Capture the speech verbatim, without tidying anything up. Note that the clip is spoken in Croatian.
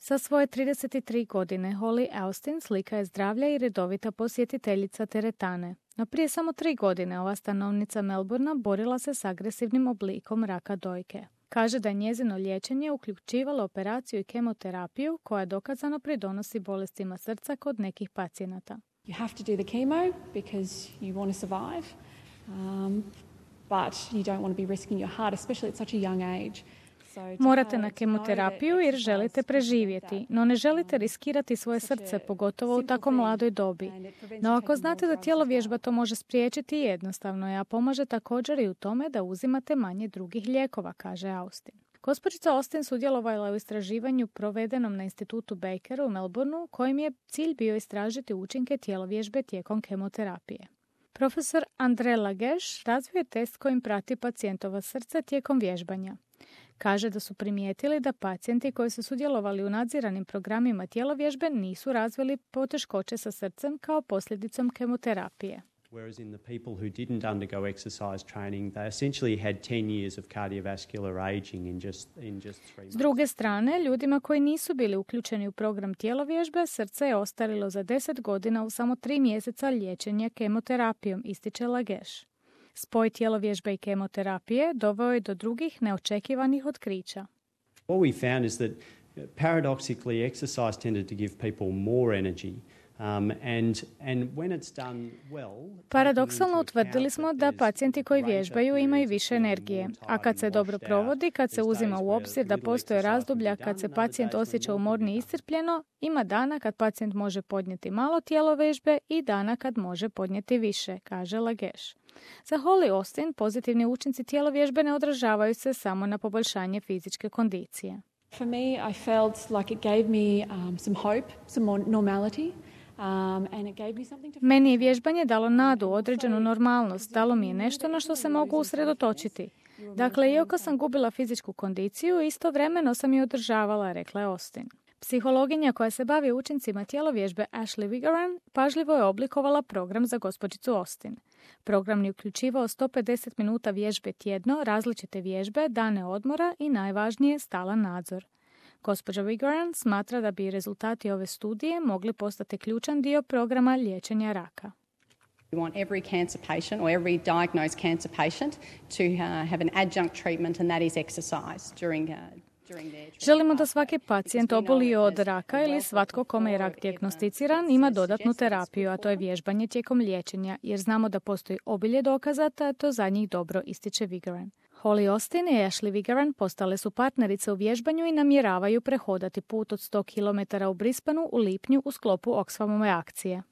Sa svoje trideset tri godine Holly Austin slika je zdravlja i redovita posjetiteljica teretane. No prije samo tri godine ova stanovnica Melbournea borila se s agresivnim oblikom raka dojke. Kaže da je njezino liječenje uključivalo operaciju i kemoterapiju koja dokazano pridonosi bolestima srca kod nekih pacijenata. You have to do the chemo because you want to survive, um, but you don't want to be risking your heart, especially at such a young age. Morate na kemoterapiju jer želite preživjeti, no ne želite riskirati svoje srce, pogotovo u tako mladoj dobi. No ako znate da tjelovježba to može spriječiti, jednostavno je, a pomaže također i u tome da uzimate manje drugih lijekova, kaže Austin. Gospođica Austin sudjelovala je u istraživanju provedenom na institutu Baker u Melbourneu, kojim je cilj bio istražiti učinke tjelovježbe tijekom kemoterapije. Profesor Andre Lageš razvio je test kojim prati pacijentova srce tijekom vježbanja. Kaže da su primijetili da pacijenti koji su sudjelovali u nadziranim programima tjelovježbe nisu razvili poteškoće sa srcem kao posljedicom kemoterapije. Whereas in the people who didn't undergo exercise training, they essentially had ten years of cardiovascular aging in just in just three months. S druge strane, ljudima koji nisu bili uključeni u program tjelovježbe, srce je ostarilo za deset godina u samo tri mjeseca liječenja kemoterapijom, ističe Lageš. Spoj tjelovježbe i kemoterapije doveo je do drugih neočekivanih otkrića. What we found is that paradoxically exercise tended to give people more energy. Um, and, and when it's done well, Paradoksalno utvrdili smo da pacijenti koji vježbaju imaju više energije, a kad se dobro provodi, kad se uzima u obzir da postoje razdoblja kad se pacijent osjeća umorni i iscrpljeno, ima dana kad pacijent može podnijeti malo tjelovježbe i dana kad može podnijeti više, kaže Lageš. Za Holly Austin pozitivni učinci tjelovježbe ne odražavaju se samo na poboljšanje fizičke kondicije. For me, I felt like it gave me um, some hope, some more normality. Um, and it gave me something to... Meni je vježbanje dalo nadu, određenu normalnost, dalo mi je nešto na što se mogu usredotočiti. Dakle, iako sam gubila fizičku kondiciju, istovremeno sam je održavala, rekla je Austin. Psihologinja koja se bavi učincima tjelovježbe Ashley Vigaran pažljivo je oblikovala program za gospođicu Austin. Program je uključivao sto pedeset minuta vježbe tjedno, različite vježbe, dane odmora i najvažnije stalan nadzor. Gospođa Vigaran smatra da bi rezultati ove studije mogli postati ključan dio programa liječenja raka. We want every cancer patient or every diagnosed cancer patient to uh, have an adjunct treatment and that is exercise during uh, Želimo da svaki pacijent obolio od raka ili svatko kome je rak dijagnosticiran ima dodatnu terapiju, a to je vježbanje tijekom liječenja, jer znamo da postoji obilje dokaza, a to za njih dobro, ističe Vigaran. Holly Austin i Ashley Vigaran postale su partnerice u vježbanju i namjeravaju prehodati put od sto kilometara u Brisbaneu u lipnju u sklopu Oxfamove akcije.